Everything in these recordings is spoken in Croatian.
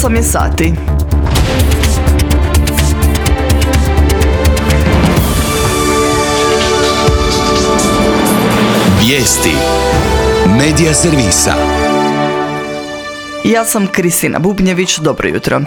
8 je sati. Vijesti Medija servisa. Ja sam Kristina Bubnjević, dobro jutro.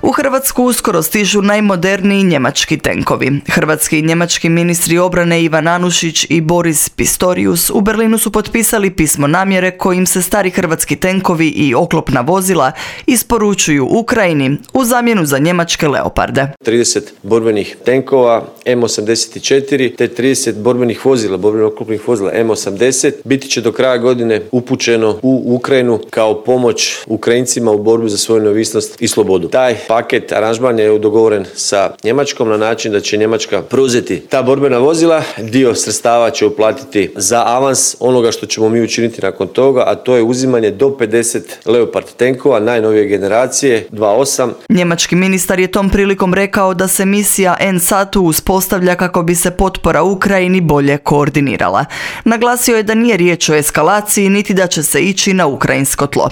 U Hrvatsku uskoro stižu najmoderniji njemački tenkovi. Hrvatski i njemački ministri obrane Ivan Anušić i Boris Pistorius u Berlinu su potpisali pismo namjere kojim se stari hrvatski tenkovi i oklopna vozila isporučuju Ukrajini u zamjenu za njemačke Leoparde. 30 borbenih tenkova M84 te 30 borbenih vozila, borbenih oklopnih vozila M80 biti će do kraja godine upućeno u Ukrajinu kao pomoć Ukrajincima u borbi za svoju neovisnost i slobodu. Taj paket aranžman je dogovoren sa Njemačkom na način da će Njemačka preuzeti ta borbena vozila, dio sredstava će uplatiti za avans onoga što ćemo mi učiniti nakon toga, a to je uzimanje do 50 Leopard tenkova najnovije generacije 2.8. Njemački ministar je tom prilikom rekao da se misija NSATU uspostavlja kako bi se potpora Ukrajini bolje koordinirala. Naglasio je da nije riječ o eskalaciji niti da će se ići na ukrajinsko tlo.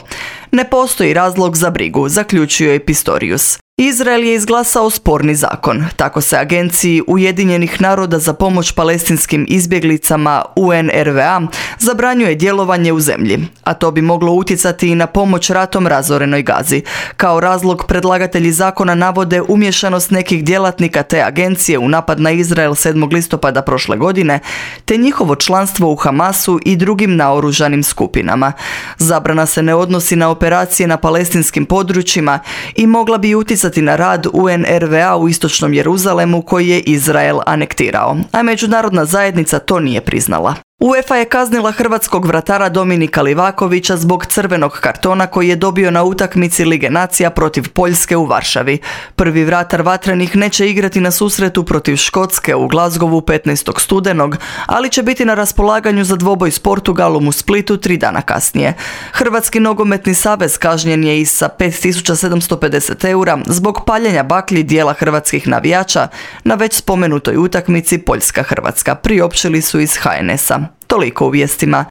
Ne postoji razlog za brigu, zaključio je Pistorius. Izrael je izglasao sporni zakon. Tako se Agenciji Ujedinjenih naroda za pomoć palestinskim izbjeglicama UNRWA zabranjuje djelovanje u zemlji, a to bi moglo utjecati i na pomoć ratom razorenoj Gazi. Kao razlog predlagatelji zakona navode umješanost nekih djelatnika te agencije u napad na Izrael 7. listopada prošle godine, te njihovo članstvo u Hamasu i drugim naoružanim skupinama. Zabrana se ne odnosi na operacije na palestinskim područjima i mogla bi utjecati na rad UNRWA u istočnom Jeruzalemu koji je Izrael anektirao, a međunarodna zajednica to nije priznala. UEFA je kaznila hrvatskog vratara Dominika Livakovića zbog crvenog kartona koji je dobio na utakmici Lige nacija protiv Poljske u Varšavi. Prvi vratar vatrenih neće igrati na susretu protiv Škotske u Glasgowu 15. studenog, ali će biti na raspolaganju za dvoboj s Portugalom u Splitu 3 dana kasnije. Hrvatski nogometni savez kažnjen je i sa 5.750 eura zbog paljenja baklji dijela hrvatskih navijača na već spomenutoj utakmici Poljska-Hrvatska, priopćili su iz HNS-a. Toliko u vijestima.